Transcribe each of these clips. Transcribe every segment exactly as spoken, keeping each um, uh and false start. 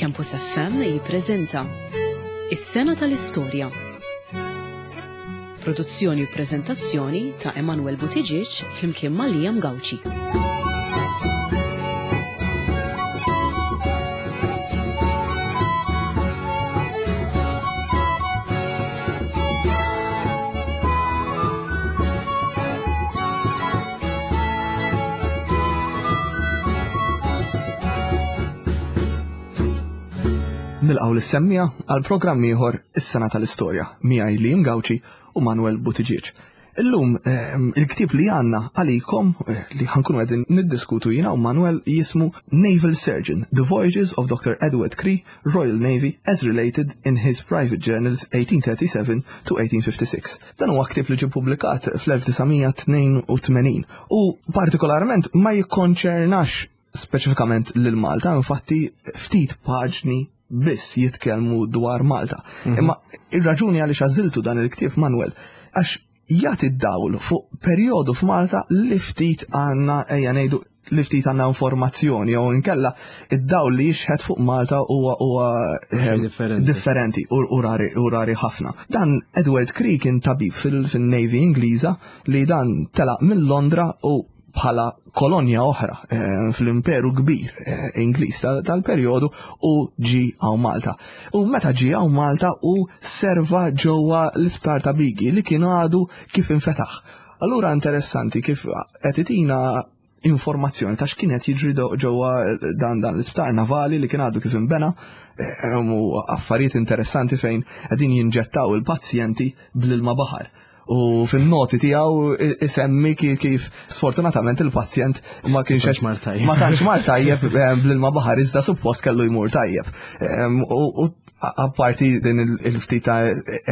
Campus F M jippreżenta Is-Sena tal-Istorja. Produzzjoni u prezentazzjoni ta' Emanuel Buttigieg flimkien ma' Liam Gauci. Nilqgħu lis-semmiegħa għal programm ieħor, Is-Sena tal-Istorja, miegħi Liam Gauci u Manuel Buttigieg. Illum ehm, il-ktib li għandna għalikom eh, li ħa nkunu qegħdin niddiskutu jiena u Manuel jismu Naval Surgeon: The Voyages of Doctor Edward Cree, Royal Navy, as related in his private journals eighteen thirty-seven to eighteen fifty-six. Dan huwa ktib li ġie publikat fl-elf disa' mija tnejn u tmenin u partikolarment ma jikkonċernax speċifikament lil Malta, infatti ftit paġni biss jitkellmu dwar Malta. Imma ir-raġuni għaliex għażiltu dan il-ktieb, Manuel, għax jagħti d-dawl fuq perjodu f'Malta li ftit għandna, ejja ngħidu, li ftit għandna informazzjoni jew inkella id-dawl li jixħet fuq Malta huwa huwa eh, differenti. Differenti u u rari u rari ħafna. Dan Edward Cree kien tabib fil- fil-Navy Ingliża li dan telaq minn Londra u bħala kolonja oħra eh, fl-imperu kbir eh, Ingliż tal- tal-perjodu u ġi għaw Malta. U meta ġi għaw Malta u serva ġewwa l-isptar ta' Bighi li kien għadu kif infetaħ. Allura interessanti kif qed itina informazzjoni ta' x'kienet jiġri do- ġewwa dan dan l-isptar navali li kien għadu kif inbena eh, u affarijiet interessanti fejn qegħdin jinġettaw il-pazjenti bl-ilma baħar. U fin-noti tiegħu isemmi ki- kif sfortunatament il-pazjent ma kienx tantx mar tajjeb. Ma tantx mar tajjeb eh, bl-ilma baħar, iżda suppost kellu jmur tajjeb. Em, U u apparti din il- il-ftit ta',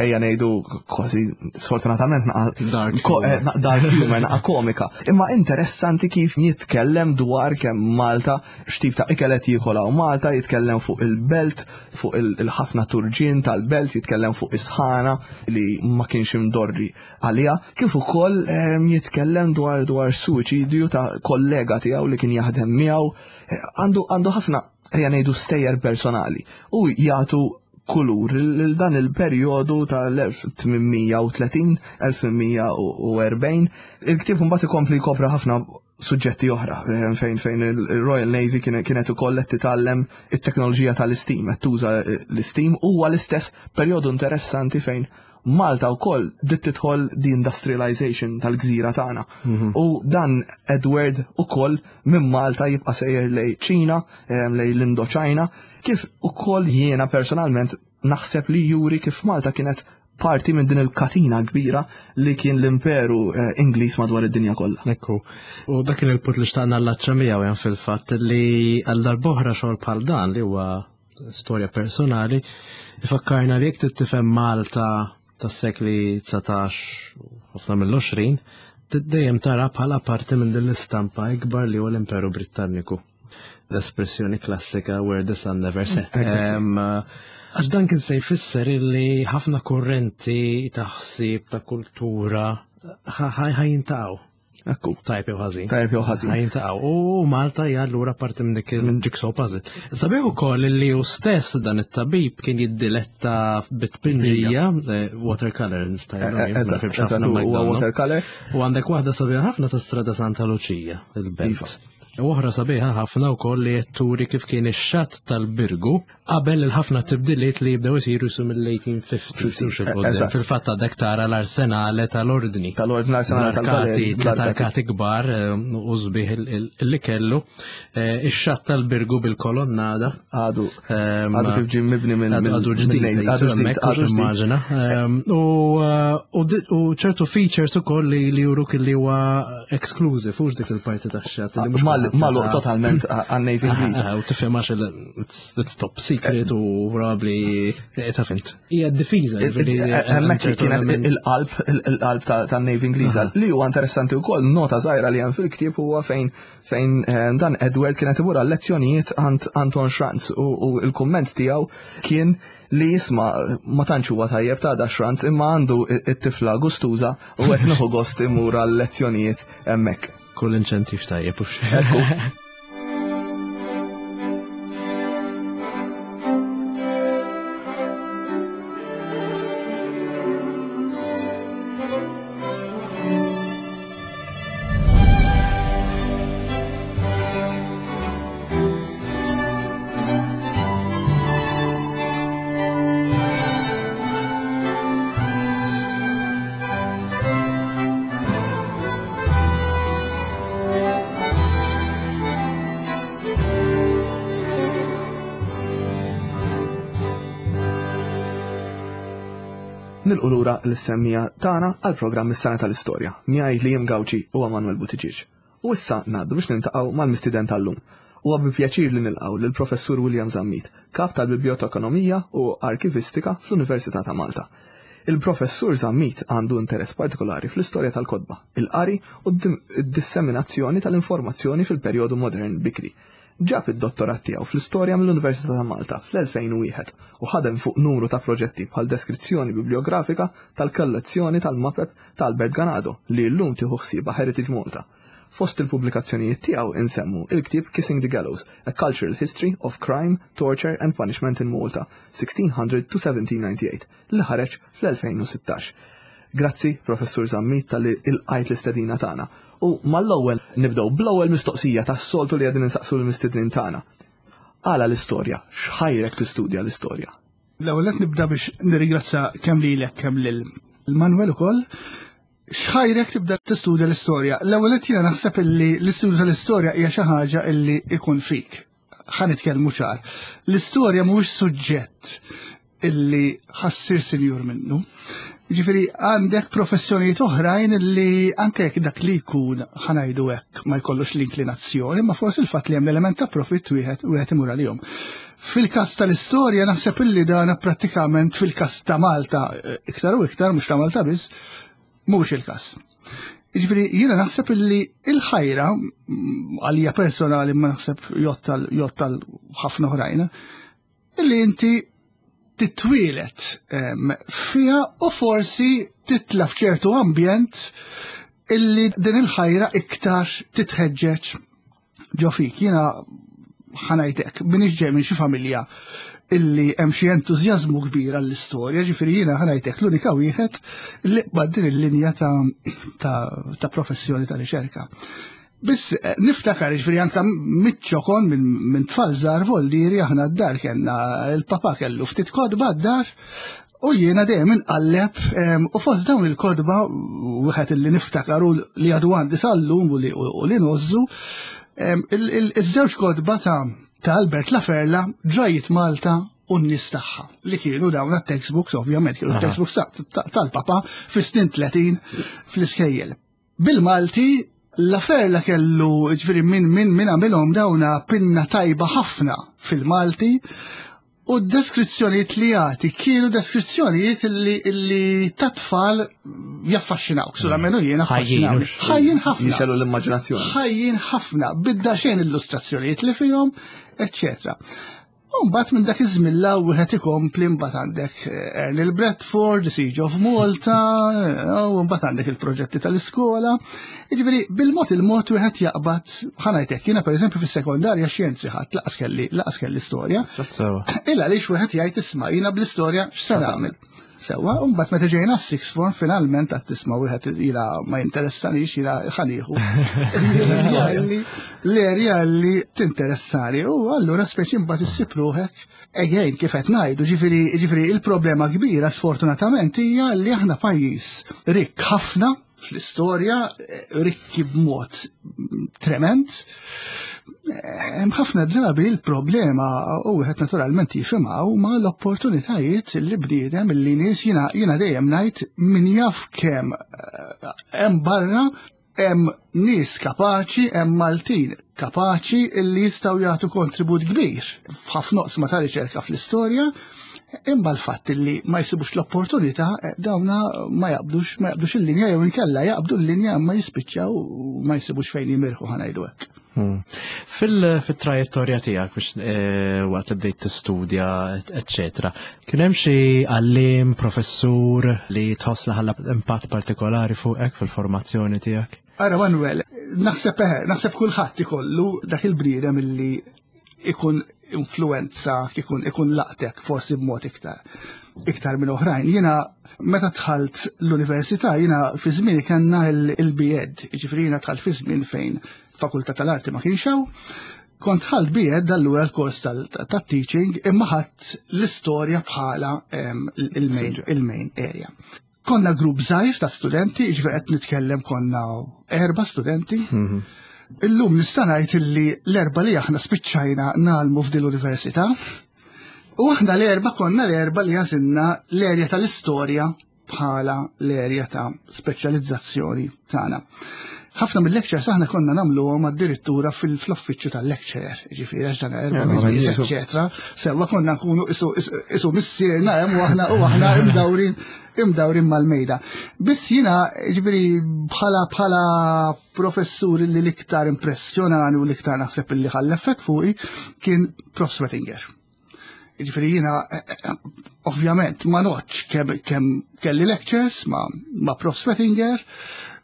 ejja ngħidu, kważi sfortunatament naqa Dark ko- eh, humor. na- dark humor, naqa komika. Imma interessanti kif jitkellem dwar kemm Malta, x'tip ta' ikel qed jiekol hawn Malta, jitkellem fuq il-belt, fuq il- il-ħafna turġien tal-belt, jitkellem fuq is-sħana li ma kienx imdorri għalija, kif ukoll em, jitkellem dwar dwar suwiċidju ta' kollega tiegħu li kien jaħdem miegħu. Eh, Għandu għandu ħafna, ejja ngħidu, stejjer personali u jagħtu kulur lil dan il-perjodu tal-elf tmien mija u tletin-elf tmien mija u erbgħin. Il-ktieb mbagħad ikompli jkopra ħafna suġġetti oħra eh, fejn fejn il-Royal Navy kienet kienet ukoll qed titgħallem it-teknoloġija tal-steam, qed tuża l-steam. Huwa l-istess perjodu interessanti fejn Malta wkoll bdiet tidħol de-industrialization tal-gżira tagħna. U dan Edward ukoll minn Malta jibqa' sejjer lejn Ċina, eh, lejn l-Indoċina, kif ukoll jiena personalment naħseb li juri kif Malta kienet parti minn din il-katina kbira li kien l-imperu eh, Ingliż madwar id-dinja kollha. Ekku. U dak kien il-punt li xtaqna nallaċċa miegħu hemm fil-fatt li għal darb'oħra xogħol bħal dan li huwa storja personali ifakkarna li jekk tifhem Malta tas-sekli dsatax u ħafna mill-għoxrin, dejjem tara bħala parti minn din l-istampa ikbar li huwa l-Imperu Britanniku. L-espressjoni klassika "where the sun never set". Exactly. Em, Għax dan kien se jfisser illi ħafna kurrenti ta' ħsieb, ta' kultura ħa jiltaqgħu. Ekku. Tajb jew ħażin. Tajb jew ħażin. Ħa jiltaqgħu. U Malta hija allura parti minn dik il-jigsaw puzzle. Sabiħ ukoll li hu stess dan it-tabib kien jiddiletta bit-tpinġija, eh, watercolor nista' Eh, eh, Eżatt, eżatt, huwa watercolor. U għandek waħda sabiħa ħafna ta' Strada Santa Lucia, il-belt. Iva. U oħra sabiħa ħafna wkoll li qed turi kif kien ix-xatt tal-Birgu qabel il-ħafna tibdiliet li jibdew isiru su mill-eighteen fifty. Eżatt. Fil-fatt għadek tara l-arsenale tal-ordni. Tal-ordni, l-arsenale L-arkati, tal-Valeri, tliet arkati kbar eh, u sbieħ il- il- li kellu. Eh, Ix-xatt tal-Birgu bil-kolonnada. Għadu Ehm, għadu kif ġie mibni minn Għadu għadu ġdid, minn- għadu ġdid, għadu ġdid. Immaġina. Ehm, U uh, u di- u ċertu features ukoll li li juruk li huwa exclusive, hux dik il-parti tax-xatt li mhux Mal- kulħadd Malu seta' totalment għan-Navy Ingliż. Ah, U tifhem għax il- it's it's top secret u probably eh, ta' fint. Hija d-difiża. ġifieri, Hemmhekk ċertu kienet element. il-qalb il-qalb tan-Navy Ingliża. Li huwa interessanti wkoll, nota żgħira li hemm fil-ktieb, huwa fejn fejn eh, dan Edward kienet imur għal lezzjonijiet għand Anton Schranz u u l-kumment tiegħu kien li jisma' ma tantx huwa tajjeb ta' da Schranz, imma għandu it-tifla gustuża u qed nieħu gost imur għal lezzjonijiet hemmhekk. Kull inċentiv tajjeb, hux. Ekku. Nilqgħu lura lis-semmiegħa tagħna għal programm is-sena tal-istorja, miegħi Liam Gauci u Manuel Buttigieg. U issa ngħaddu biex niltaqgħu mal-mistieden tal-lum. Huwa bi pjaċir li nilqgħu lill-Professur William Zammit, kap tal-Bibliotekonomija u Arkivistika fl-Università ta' Malta. Il-Professur Zammit għandu interess partikolari fl-istorja tal-kotba, il-qari u d-disseminazzjoni tal-informazzjoni fil-perjodu modern bikri. Ġab id-dottorat tiegħu fl-istorja mill-Università ta' Malta fl-elfejn u wieħed u ħadem fuq numru ta' proġetti bħal deskrizzjoni bibliografika tal-kollezzjoni tal-mapep ta' Albert Ganado li llum tieħu ħsiebha Heritage Malta. Fost il-pubblikazzjonijiet tiegħu insemmu il-ktieb Kissing the Gallows, A Cultural History of Crime, Torture and Punishment in Malta, sixteen hundred to seventeen ninety-eight, li ħareġ fl-elfejn u sittax. Grazzi, Professur Zammit, tal-li ilqajt l-istedina tagħna. U mal-ewwel nibdew bl-ewwel mistoqsija tas-soltu li qegħdin insaqsu l-mistednin tagħna. Għala l-istorja, x'ħajrek tistudja l-istorja? L-ewwel qed nibda biex nirringrazzja kemm lilek kemm lil Manuel ukoll. X'ħajrek tibda tistudja l-istorja? L-ewwel qed jiena naħseb illi l-istudju tal-istorja hija xi ħaġa illi ikun fik. Ħa nitkellmu ċar. L-istorja mhuwiex suġġett illi ħassir sinjur minnu. Ġifieri għandek professjonijiet oħrajn illi anke jekk dak li jkun ħanajdu hekk ma jkollux l-inklinazzjoni, ma forsi il-fatt li hemm l-element ta' profitt wieħed wieħed imur għalihom. Fil-każ tal-istorja naħseb illi dan prattikament fil-każ ta' Malta iktar u iktar, mhux ta' Malta biss, mhuwiex il-każ. Ġifieri jiena naħseb illi il-ħajra għalija personali ma naħseb jottal, jottal ħafna oħrajn, illi inti titwilet, em, fiha u forsi titla f'ċertu ambjent illi din il-ħajra iktar titħeġġeġ ġo fik. Jiena ħanajtek, minix ġej minn xi familja illi hemm xi entużjażmu kbir għall-istorja, ġifieri jiena ħanajtek l-unika wieħed li qbad din il-linja ta', ta', ta' professjoni ta' riċerka. Biss, eh, niftakar, ġifieri anka miċ-ċokon minn, minn tfal żgħar voldieri aħna d-dar kellna il-papa kellu ftit kotba d-dar u jiena dejjem inqalleb, em, u fost dawn il-kotba wieħed illi niftakar u li għadu għandi sal-lum u li, u li nożżu, em, il-, il-, iż-żewġ kotba ta', ta' Albert Laferla ġrajjiet Malta u n-nies tagħha, li kienu dawn it-textbooks, ovvjament, kienu Aha. textbooks ta', ta', tal-papa fis-snin tletin fl-iskejjel. Bil-Malti, Laferla kellu, ġifieri min, min, min għamilhom dawna pinna tajba ħafna fil-Malti, u d-deskrizzjonijiet li jagħti kienu deskrizzjonijiet illi, illi ta' tfal jaffaxxinawk, sulla menu jiena Ħajjin, affaxxinawk. mhux Ħajjin ħafna. Jixelu l-immaġinazzjoni. Ħajjin ħafna, bidda xejn illustrazzjonijiet li fihom, eċċetera. U mbagħad minn dak iż-żmien la wieħed ikompli mbagħad għandek, eh, Ernil Bradford, The Siege of Malta, eh, u mbagħad għandek il-proġetti tal-iskola. Jiġifieri bil-mod il-mod wieħed jaqbad, ħa ngħidlek, jiena pereżempju fis-sekondarja xjenzi ħadd laqas kelli, laqas kelli storja. Sewa. Illa għaliex wieħed jgħid isma' jiena bl-istorja x'se nagħmel. Sewa, u mbagħad meta ġejna s-sixth form finalment għad tisma' wieħed ila ma jinteressanix ila ħanieħu. L-erja li tinteressani u allura speċi mbagħad issib ruħek. Again, kif qed ngħidu, ġifieri, ġifieri il-problema kbira sfortunatament hija li aħna pajjiż rikk ħafna fl-istorja, rikki b'mod trement. Hemm ħafna drabi l-problema u wieħed naturalment jifhimha huma l-opportunitajiet li bniedem li nies jiena, jiena dejjem ngħid min jaf kemm, eh, hemm barra hemm nies kapaċi, hemm Maltin kapaċi li jistgħu jagħtu kontribut kbir f'ħafna oqsma ta' riċerka fl-istorja, imma l-fatt li ma jsibux l-opportunità, eh, dawna ma jaqbdux, ma jaqbdux il-linja jew inkella jaqbdu l-linja ma jispiċċaw u ma jsibux fejn jimirħu ħa ngħidu hekk. Hmm. Fil-, fit-trajettorja tiegħek biex, eh, waqt li bdejt tistudja, eċċetera, kien hemm xi għalliem, professur li tħoss li ħalla impatt partikolari fuqek fil-formazzjoni tiegħek? Ara Manuel, naħseb, eh, naħseb kulħadd ikollu dak il-bniedem illi ikun influenza, ikun, ikun laqtek forsi b'mod iktar, iktar minn oħrajn. Jiena meta dħalt l-università, jiena fi żmieni kellna il-, il-B Ed, jiġifieri jiena dħalt fi żmien fejn fakultà tal-arti ma kienx hawn. Kont dħalt B Ed allura l-kors tal-, tat-teaching imma ħadt l-istorja bħala, em, il-main, Subject. il-main area. Konna grupp żgħir ta' studenti, jiġifieri qed nitkellem konna erba' studenti. Mhm. Illum nista' ngħid illi l-erba' li aħna spiċċajna nagħlmu f'din l-università. U aħna l-erba' konna l-erba' li għażilna l-erja tal-istorja bħala l-erja ta' speċjalizzazzjoni tagħna. Ħafna mill-lectures aħna konna nagħmluhom addirittura fil-uffiċċju tal-lecturer, ġifieri għax dan erba' nies, eċetera. Sewwa konna nkunu isu missierna hemm u aħna u aħna imdawrin imdawrin mal-mejda. Biss jiena ġifieri bħala bħala professur li l-iktar impressjonani u l-iktar naħseb li ħalla effett fuqi kien Prof Sweatinger. Ġifieri jiena ovvjament ma noċ kemm kelli lectures ma, ma Prof Sweatinger.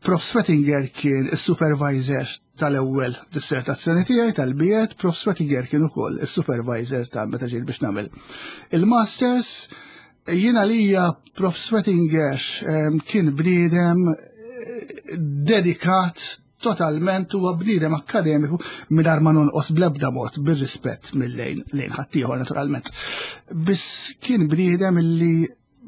Prof Sweatinger kien is-supervisor tal-ewwel dissertazzjoni tiegħi tal-B Ed, Prof Sweatinger kien ukoll is-supervisor tal meta ġejt biex nagħmel il-masters. Jiena lija Prof Sweatinger kien bniedem eh, dedikat totalment, huwa bniedem akademiku, mingħajr ma nonqos bl-ebda mod bir-rispett mill-lejn lejn ħaddieħor naturalment. Biss kien bniedem illi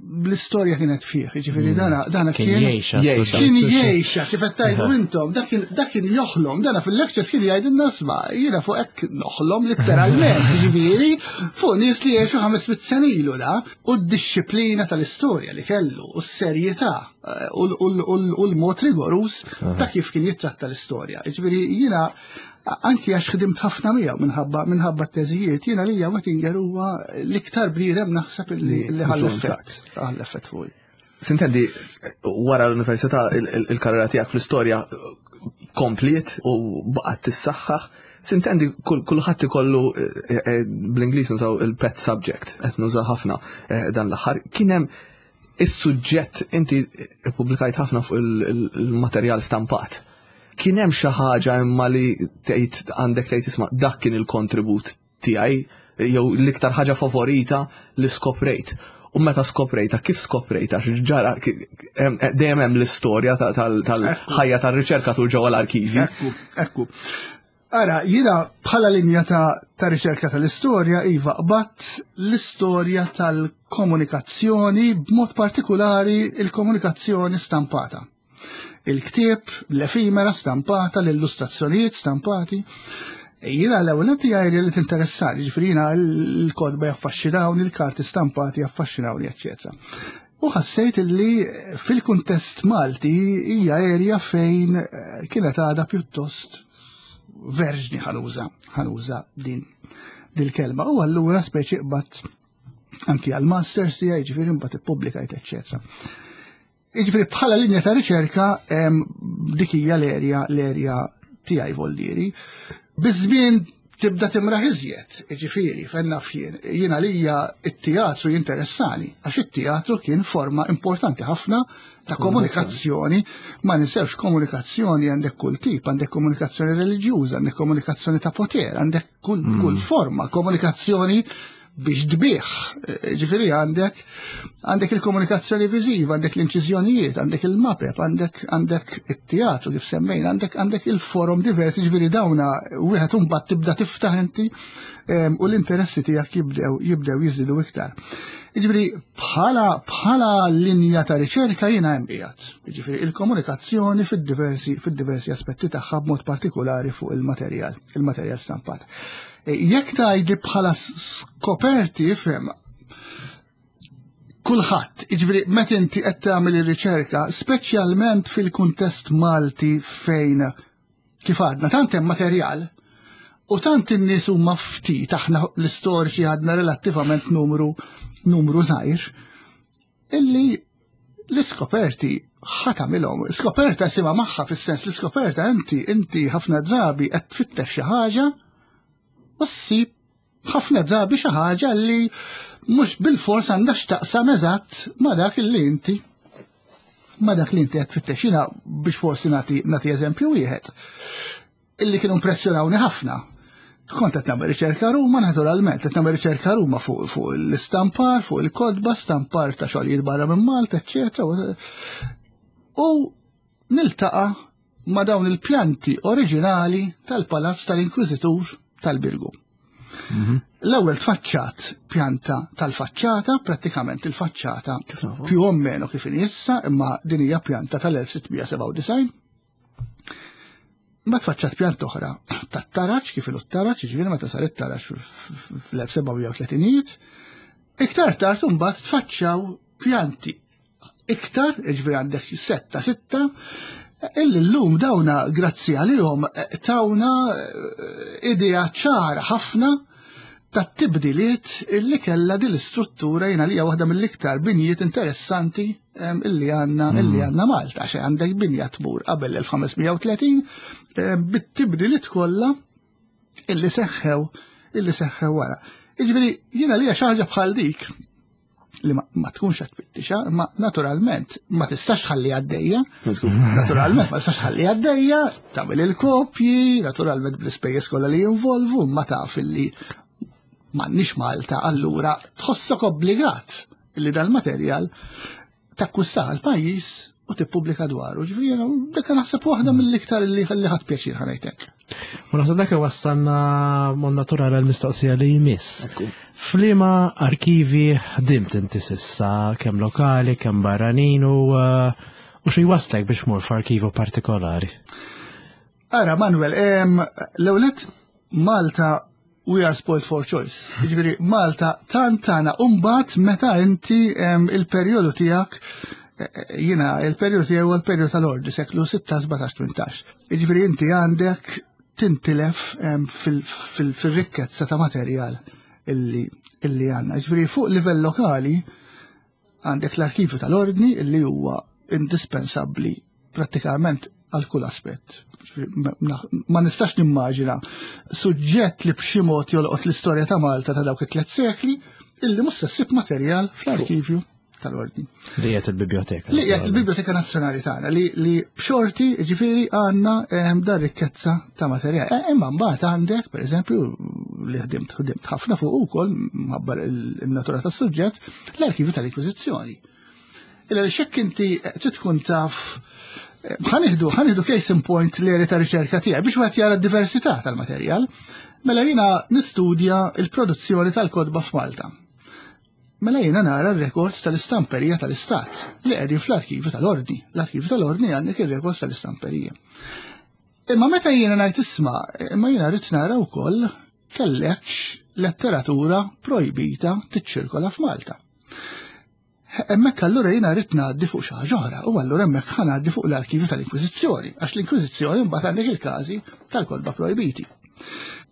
l-istorja kienet fih, ġifieri mm. dana dana kien jgħixha. Kien jgħixha, kif qed tgħidu intom, dak kien joħlom, dana fil-lectures kien jgħidilna: "Isma', jiena fuq hekk noħlom letteralment", ġifieri fuq nies li jgħixu ħames mitt sena ilu da, u d-disciplina tal-istorja li kellu, u s-serjetà eh, u l-mod rigorus ta' kif kien jittratta l-istorja. Ġifieri jiena anki għax ħdimt ħafna miegħu minħabba minħabba t-teżijiet, jiena lija Wettinger huwa l-iktar bniedem naħseb li ħalla effett, ħalla effett fuqi. Sintendi, wara l-università il-karriera tiegħek fl-istorja kompliet u baqgħet tissaħħaħ. Sintendi, kulħadd ikollu eh, eh, bl-Ingliż nużaw il-pet subject, qed nużaw ħafna eh, dan l-aħħar. Kien hemm is-suġġett, inti ippubblikajt ħafna fuq il-materjal stampat. Kien hemm xi ħaġa imma li tgħid għandek tgħid, "Isma', dak kien il-kontribut tiegħi," jew l-iktar ħaġa favorita li skoprejt? U meta skoprejta, kif skoprejta, ġara, dejjem hemm l-istorja tal-ħajja tar-riċerkatur ġewwa l-arkivi. Ekku, ekku. Ara, jiena bħala linja ta', ta riċerka tal-istorja, iva, qbadt l-istorja tal-komunikazzjoni, b'mod partikolari il-komunikazzjoni stampata. Il-ktieb, l-efimera stampata, l-illustrazzjonijiet stampati. Jiena l-ewwel tiegħi li tinteressani, ġifieri jiena l-kotba jaffaxxinawni, il-karti stampati jaffaxxinawni, eċċetera. U ħassejt li fil-kuntest Malti hija erja fejn kienet għadha pjuttost verġni, ħa nuża, ħa nuża din dil-kelma. U allura speċi qbadt anki għal-masters tiegħi, ġifieri mbagħad ippubblikajt, eċċetera. Jiġifieri bħala linja ta' riċerka dik hija l-erja l-erja tiegħi voldieri. Biż-żmien tibda timraħ iżjed, ġifieri, fenna fjien, jiena lija it-teatru jinteressani, għax it-teatru kien forma importanti ħafna ta' komunikazzjoni, ma ninsewx komunikazzjoni għandek kull tip, għandek komunikazzjoni reliġjuża, għandek komunikazzjoni ta' poter, għandek kull, mm. kull forma, komunikazzjoni biex tbigħ. Ġifieri għandek għandek il-komunikazzjoni viżiva, għandek l-inċiżjonijiet, għandek il-mapep, għandek għandek it-teatru kif semmejna, għandek għandek il-forum diversi, ġifieri dawna wieħed imbagħad tibda tiftaħ inti u l-interessi tiegħek jibdew jibdew jiżidu iktar. Ġifieri bħala bħala linja ta' riċerka jiena hemm qiegħed. Ġifieri il-komunikazzjoni fid-diversi fid-diversi aspetti tagħha, b'mod partikolari fuq il-materjal, il-materjal stampat. Jekk tgħidli bħala skoperti, ifhem, kulħadd, jiġifieri meta inti qed tagħmel ir-riċerka, speċjalment fil-kuntest Malti fejn kif għadna tant hemm materjal u tant in-nies huma ftit, aħna l-istoriċi għadna relattivament numru numru żgħir, illi l-iskoperti ħa tagħmilhom. Skoperta sima magħha fis-sens l-iskoperta inti inti ħafna drabi qed tfittex xi ħaġa u ssib ħafna drabi xi ħaġa li mhux bil-fors għandha x'taqsam eżatt ma' dak li inti ma' dak li inti qed tfittex. Jiena biex forsi nagħti nagħti eżempju wieħed illi kienu impressjonawni ħafna. Kont qed nagħmel riċerka Ruma naturalment, qed nagħmel riċerka Ruma fuq fuq l-istampar, fuq il-kotba, stampar ta' xogħlijiet barra minn Malta, eċċetera. U niltaqa' ma' dawn il-pjanti oriġinali tal-Palazz tal-Inkwiżitur tal-Birgu. L-ewwel tfaċċat pjanta tal-faċċata, prattikament il-faċċata più o meno kif inhi issa, imma din hija pjanta tal-elf sitt mija sebgħa u disgħin. Ma tfaċċat pjanta oħra tat-taraġ, kif ilu t-taraġ, ġifieri meta sar it-taraġ fl-elf seba' mija u tletinijiet. Iktar tard imbagħad tfaċċaw pjanti iktar, ġifieri għandek setta sitta, illi llum dawna grazzi għalihom tawna idea ċara ħafna tat-tibdiliet illi kella din l-istruttura jiena li hija waħda mill-iktar binjiet interessanti illi għandna illi għandna Malta, għax għandek binja tmur qabel l-elf ħames mija u tletin bit-tibdiliet kollha illi seħħew illi seħħew wara. Jiġifieri jiena li xi ħaġa bħal dik li ma, ma tkunx qed tfittixa, imma naturalment ma tistax tħalli għaddejja. Naturalment ma tistax tħalli għaddejja, tagħmel il-kopji, naturalment bl-ispejjeż kollha li jinvolvu, ma taf illi m'għandniex Malta, allura tħossok obbligat illi dal-materjal takkwistah għall-pajjiż u tippubblika dwaru. Ġifieri jiena dik naħseb waħda mill-iktar li ħalli ħadd pjaċir ħanajtek. U naħseb dak wassalna mod naturali għall-mistoqsija li jmiss. F'liema arkivi ħdimt inti s'issa, kemm lokali, kemm barranin u, uh, u xi waslek biex mur f'arkivu partikolari? Ara, Manuel, l-ewwel nett Malta we are spoiled for choice. Ġifieri Malta tantana umbat meta inti il-perjodu tiegħek, jiena il-perjodu tiegħu huwa l-perjodu tal-ordi, seklu sitta, sbatax, tmintax. Ġifieri inti għandek tintilef fil-rikkezza ta' materjal illi, illi għandna. Ġifieri fuq livell lokali għandek l-arkivju tal-ordni illi huwa indispensabbli prattikament għal kull aspett. Ma nistax nimmaġina suġġett li b'xi mod jolqot l-istorja ta' Malta ta' dawk it-tliet sekli illi mhux se ssib materjal fl-arkivju tal-ordni. Li qiegħed il-Biblioteka. Li qiegħed il-Biblioteka Nazzjonali tagħna li, li b'xorti ġifieri għandna ehm, dar rikkezza ta' materjal. E, imma mbagħad għandek, pereżempju, li ħdimt ħdimt ħafna fuq ukoll mħabbar il-natura tas-suġġett, l-arkivju tal-Inkwiżizzjoni. Illa li xekk inti trid tkun taf, ħa nieħdu, ħa nieħdu case in point li ta' riċerka tiegħi biex wieħed jara d-diversità tal-materjal. Mela jiena nistudja il-produzzjoni tal-kotba f'Malta. Mela jiena nara r-rekords tal-istamperija tal-Istat li qegħdin fl-arkivju tal-Ordni. L-arkivju tal-Ordni għandek ir-rekords tal-istamperija. Imma meta jiena ngħid isma', imma jiena rrid nara wkoll kellekx letteratura projbita tiċċirkola f'Malta. Hemmhekk allura jiena rrid ngħaddi fuq xi ħaġa oħra, u allura hemmhekk ħa ngħaddi fuq l-arkivju tal-Inkwiżizzjoni, għax l-Inkwiżizzjoni mbagħad għandek il-każi tal-kotba projbiti.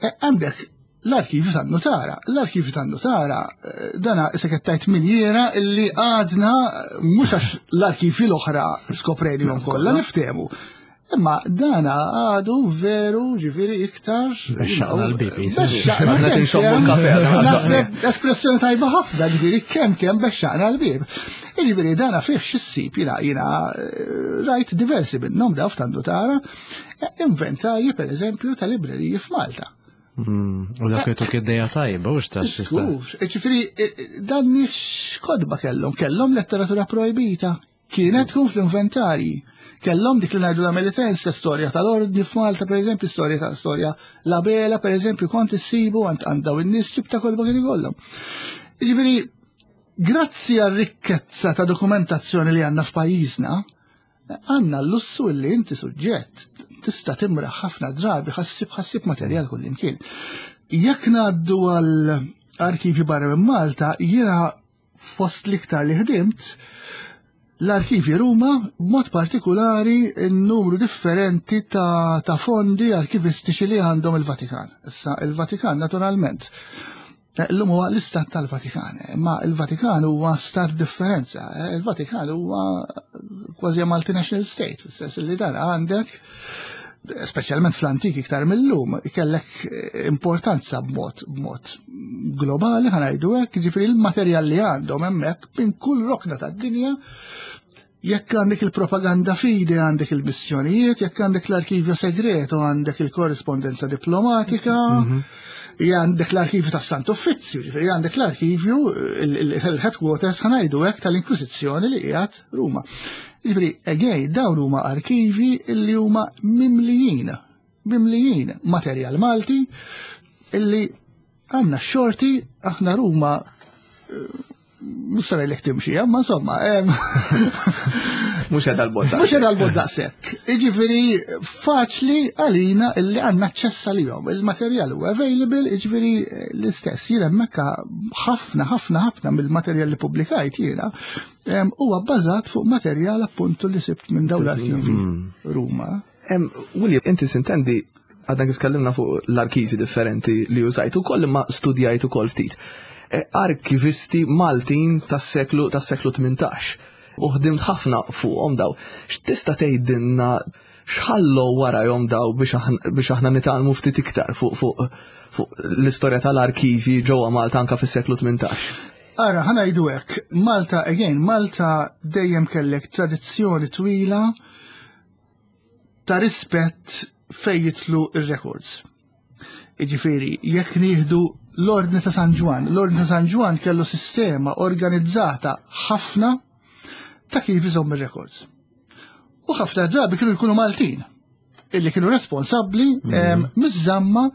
E, għandek l-arkivju tan-nutara. L-arkivju tan-nutara, eh, dana issa qed tgħid minjiera illi għadna mhux għax l-arkivji l-oħra skoprejnihom kollha niftehmu. Imma dana għadu veru ġifieri iktar. Bexxaqna l-bieb. Bexxaqna. Għadna tinxommu l-kafe, għadna. Naħseb espressjoni tajba ħafna, ġifieri kemm kemm bexxaqna l-bieb. Ġifieri dana fih x'issib jiena jiena eh, rajt diversi minnhom daw f'tan-nutara, eh, inventarji pereżempju ta' libreriji f'Malta. Mm, u dak jtuk id-dejja tajba, u x'ta' x'tista'. Skur, ġifieri eh, dan nies x'kodba kellhom, kellhom letteratura projbita, kienet tkun fl-inventarji. Kellhom dik li ngħidu la Melitense, storja tal-ordni f'Malta, per eżempju, storja ta' storja la Bela, per eżempju, kont issibu għand għand daw in-nies ċib ta' kolba kien ikollhom. Ġifieri, grazzi għar-rikkezza ta' dokumentazzjoni li għandna f'pajjiżna, għandna l-lussu li inti suġġett tista' timraħ ħafna drabi ħassib ħassib materjal kullimkien. Jekk ngħaddu għal arkivi barra minn Malta, jiena fost l-iktar li ħdimt l-arkivi Ruma, b'mod partikolari n-numru differenti ta', ta' fondi arkivistiċi li għandhom il-Vatikan. Issa, il-Vatikan naturalment, eh, illum huwa l-istat tal-Vatikan, imma il-Vatikan huwa stat differenza. Eh, il-Vatikan huwa kważi multinational state, fis-sens li dan għandek, speċjalment fl-antik iktar mill-lum, kellek importanza b'mod b'mod globali, ħa ngħidu hekk, ġifieri l-materjal li għandhom hemmhekk minn kull rokna tad-dinja, jekk għandek il-propaganda fide, għandek il-missjonijiet, jekk għandek l-arkivju segreto, għandek il-korrispondenza diplomatika, Mhm. għandek l-arkivju tas Sant Uffizzju, ġifieri għandek l-arkivju, il-headquarters ħa ngħidu hekk tal-Inkwiżizzjoni li qiegħed Ruma. Ġifieri, again, dawn huma arkivi illi huma mimlijin, mimlijin materjal Malti illi għandna xorti aħna Ruma, eh, mhux se ngħidlek timxi, ma insomma, em, Mhux qed għal-bogħod. Mhux qed għal-bogħod daqshekk. Jiġifieri faċli għalina illi għandna aċċess għalihom. Il-materjal huwa available, jiġifieri l-istess. Jien hemmhekk ħafna ħafna ħafna mill-materjal li pubblikajt jiena huwa bbażat fuq materjal appuntu li sibt minn dawn l-arkivi Ruma. William, inti sintendi għadna kif tkellimna fuq l-arkivi differenti li użajt ukoll imma studjajt ukoll ftit. Arkivisti Maltin tas-seklu tas-seklu tmintax. U ħdimt ħafna fuqhom daw. X'tista' tgħidilna x'ħallu warajhom daw biex aħna nitgħallmu ftit iktar fuq fuq fuq l-istorja tal-arkivi ġewwa Malta anka fis-seklu tmintax? Ara, ħa ngħidu hekk, Malta, again, Malta dejjem kellek tradizzjoni twila ta' rispett fejn jidħlu ir-records. Jiġifieri, jekk nieħdu l-Ordni ta' San Ġwann, l-Ordni ta' San Ġwann kellu sistema organizzata ħafna ta' kif iżomm ir-records. U ħafna drabi kienu jkunu Maltin, illi kienu responsabbli miż-żamma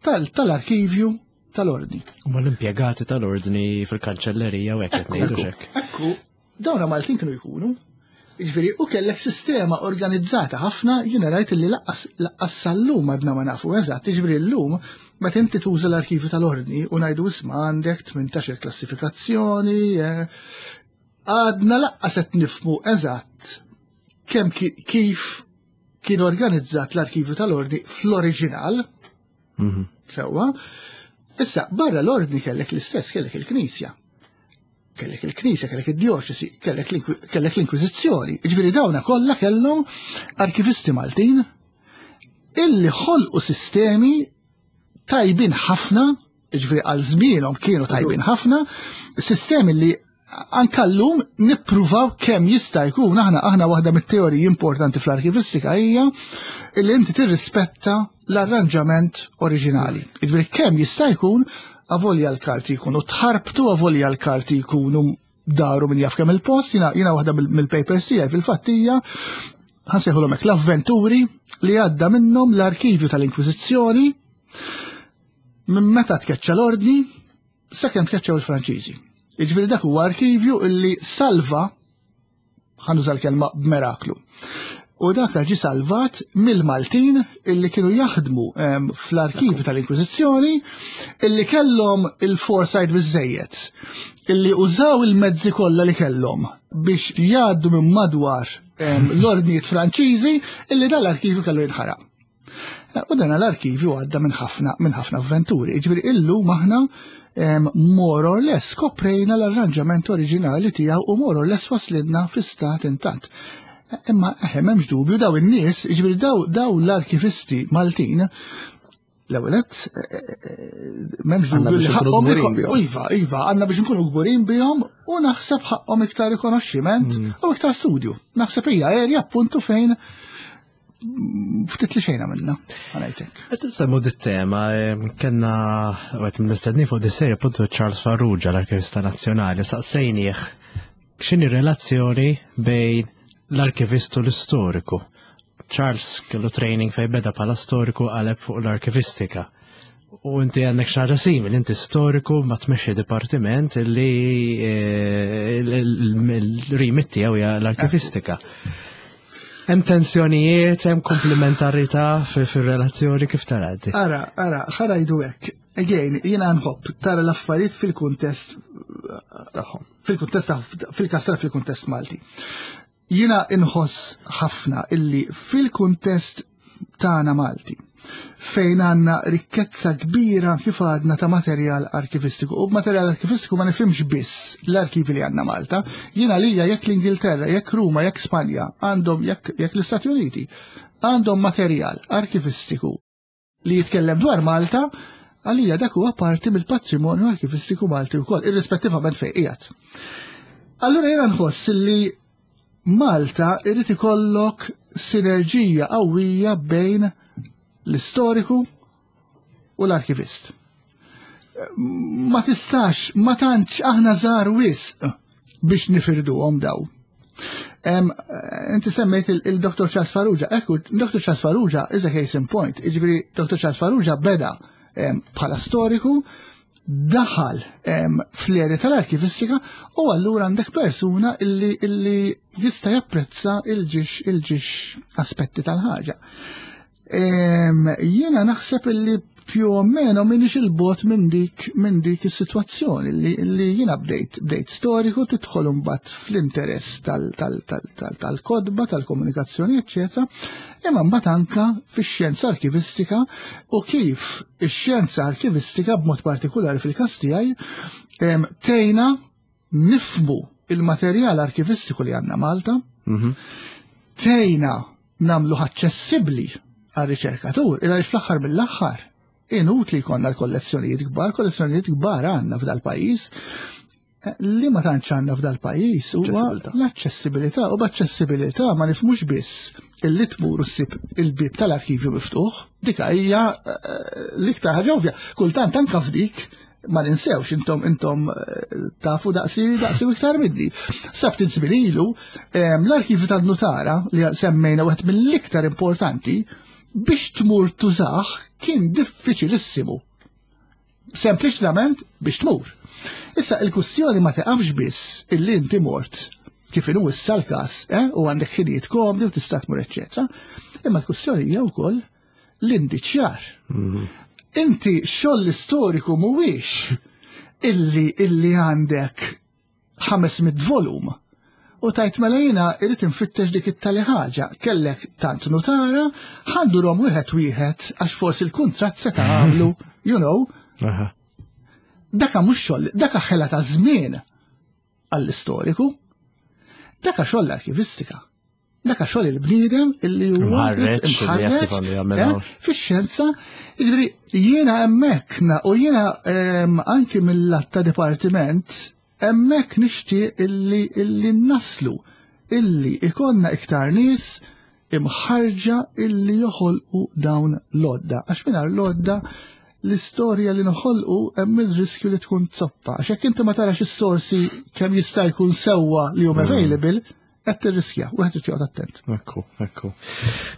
tal-arkivju tal-ordni. U l-impjegati tal-ordni fil-kanċellerija u hekk qed ngħidu xek. Ekku, dawna Maltin kienu jkunu. Jiġifieri, u kellek sistema organizzata ħafna, jiena rajt li lanqas sal-lum għadna ma nafu eżatt, jiġifieri llum meta inti tuża l-arkivju tal-ordni u ngħidu isma' għandek tmintax-il klassifikazzjoni, għadna lanqas qed nifhmu eżatt kemm kif kien organizzat l-arkivju tal-ordni fl-oriġinal. Sewwa. Issa, barra l-ordni kellek l-istess, kellek il-Knisja. Kellek il-Knisja, kellek id-djoċesi, kellek l-Inkwiżizzjoni. Jiġifieri dawna kollha kellhom arkivisti Maltin illi ħolqu sistemi tajbin ħafna, jiġifieri għal żmienhom kienu tajbin ħafna, sistemi li anka llum nippruvaw kemm jista' jkun aħna aħna waħda mit-teoriji importanti fl-arkivistika hija illi inti tirrispetta l-arranġament oriġinali. Jiġifieri kemm jista' jkun avolja l-karti jkunu tħarbtu, avolja l-karti jkunu daru minn jaf kemm il-post, jiena jiena waħda mill-papers tiegħi fil-fatt hija ħa nsejħulhom hekk l-avventuri li għadda minnhom l-arkivju tal-Inkwiżizzjoni minn meta tkeċċa l-ordni sakemm tkeċċaw il-Franċiżi. Jiġifieri dak huwa arkivju illi salva, ħa nuża l-kelma b'miraklu. U dak ġi salvat mill-Maltin illi kienu jaħdmu fl-arkivju tal-Inkwiżizzjoni illi kellhom il-foresight biżejjed, illi użaw il-mezzi kollha li kellhom biex jgħaddu minn madwar l-ordnijiet Franċiżi illi dal-arkivju kellu jinħaraq. U dan l-arkivju għadda minn ħafna minn ħafna avventuri. Jiġifieri illum aħna more or less koprejna l-arranġament oriġinali tiegħu u more or less waslidna fi stat intatt. Imma eħe m'hemmx dubju daw in-nies, jiġifieri daw daw l-arkivisti Maltin, l-ewwel m'hemmx dubju li ħaqhom Iva, iva, għandna biex nkunu kburin bihom u naħseb ħaqhom iktar rikonoxximent u iktar studju. Naħseb hija area appuntu fejn ftit li xejna minna, ħa ngħidlek. Qed insemmu dit-tema, kellna wieħed mill-mistednin fuq dis-serje appuntu Charles Farrugia, l-Arkivista Nazzjonali, saqsejnieh x'inhi relazzjoni bejn l-arkivist u l-istoriku. Charles kellu training fej beda bħala storiku qaleb fuq l-arkivistika. U inti għandek xi ħaġa simili, inti storiku ma tmexxi dipartiment illi il-remit tiegħu hija l-arkivistika. Hemm tensjonijiet, hemm komplementarità fir-relazzjoni kif tara inti? Ara, ara, ħa ngħidu hekk. Again, jiena nħobb tara l-affarijiet fil-kuntest tagħhom. Fil-kuntest fil-kasra fil-kuntest Malti. Jiena inħoss ħafna illi fil-kuntest tagħna Malti fejn għandna rikkezza kbira kif għadna ta' materjal arkivistiku. U b'materjal arkivistiku ma nifhimx biss l-arkivi li għandna Malta. Jiena lija jekk l-Ingilterra, jekk Ruma, jekk Spanja, għandhom jekk, jekk l-Istati Uniti, għandhom materjal arkivistiku li jitkellem dwar Malta, għalija dak huwa parti mill-patrimonju arkivistiku Malti wkoll, irrispettivament fejn qiegħed. Allura jiena nħoss li Malta irid ikollok sinerġija qawwija bejn l-istoriku u l-arkivist. Ma tistax, ma tantx aħna żgħar wisq biex nifirduhom daw. Inti semmejt il-Doktor Charles Farrugia. Ekku, Doktor Charles Farrugia is a case in point. Jiġifieri Doktor Charles Farrugia beda bħala storiku, daħal fl-erja tal-arkivistika u allura għandek persuna illi, illi jista' japprezza il-ġiex il-ġiex aspetti tal-ħaġa. Jiena naħseb illi più o meno minix il-bot minn dik minn dik is-sitwazzjoni li, li jiena bdejt bdejt storiku tidħol imbagħad fl-interess tal-kodba, tal-komunikazzjoni, eċċetera. Imma mbagħad anka fix-xjenza arkivistika u kif ix-xjenza arkivistika b'mod partikolari fil-każ tiegħi tgħinna nifhmu il-materjal arkivistiku li għandna Malta, tgħinna nagħmlu aċċessibbli għar-riċerkatur, illa fl-aħħar mill-aħħar inutli jkollna l-kollezzjonijiet kbar, kollezzjonijiet kbar għandna f'dal-pajjiż, li ma tantx għandna f'dal-pajjiż huwa l-aċċessibilità, u b'aċċessibilità ma nifhmux biss illi tmur u ssib il-bieb tal-arkivju miftuħ, dik hija l-iktar ħaġa ovvja. Kultant anke f'dik ma ninsewx, intom intom tafu daqsi daqsi iktar minni. Sa ftit żmien ilu l-arkivju tan-nutara li semmejna wieħed mill-iktar importanti biex tmur tużax kien diffiċilissimu. Sempliċement biex tmur. Issa il-kwistjoni ma teqafx biss illi inti mort kif inhu issa l-każ, eh, u għandek ħinijiet komdi u tista' tmur eċċetera. Imma l-kwistjoni hija wkoll l-indiċjar. Inti xogħol istoriku mhuwiex illi illi għandek ħames mitt volum u tajt mela jiena irrid infittex dik it-tali ħaġa. Kellek tant nutara, ħandurhom wieħed wieħed għax forsi l-kuntratt se tagħmlu, you know. Daka mhux xogħol, daka ħela ta' żmien għall-istoriku. Daka xogħol l-arkivistika. Daka xogħol il-bniedem illi huwa Imħarreġ, fix-xjenza. Jiġifieri jiena hemmhekk u jiena anki mill-lat ta' dipartiment hemmhekk nixtieq illi illi naslu illi ikonna iktar nies imħarġa illi joħolqu dawn l-odda. Għax mingħajr l-odda l-istorja li noħolqu hemm il-riskju li tkun zoppa. Għax jekk inti ma tarax is-sorsi kemm jista' jkun sewwa li huma available, qed tirriskja u qed joqgħod attent. Ekku, ekku.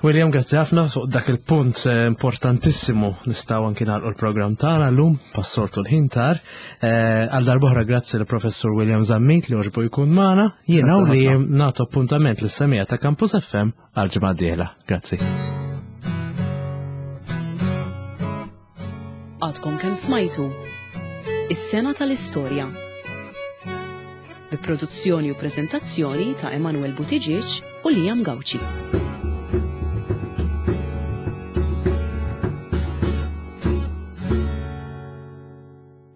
William, grazzi ħafna fuq dak il-punt importantissimu nistgħu anki nagħlqu l-programm tagħna llum passortu l-ħin tar. Għal darb'oħra grazzi lill professur William Zammit li għoġbu jkun magħna. Jiena u li nagħtu appuntament lis-semija ta' Campus F M għal ġimgħa d-dieħla. Grazzi. Għadkom kemm smajtu Is-Sena tal-Istorja bi produzzjoni u preżentazzjoni ta' Emanuel Buttigieg u Liam Gauci.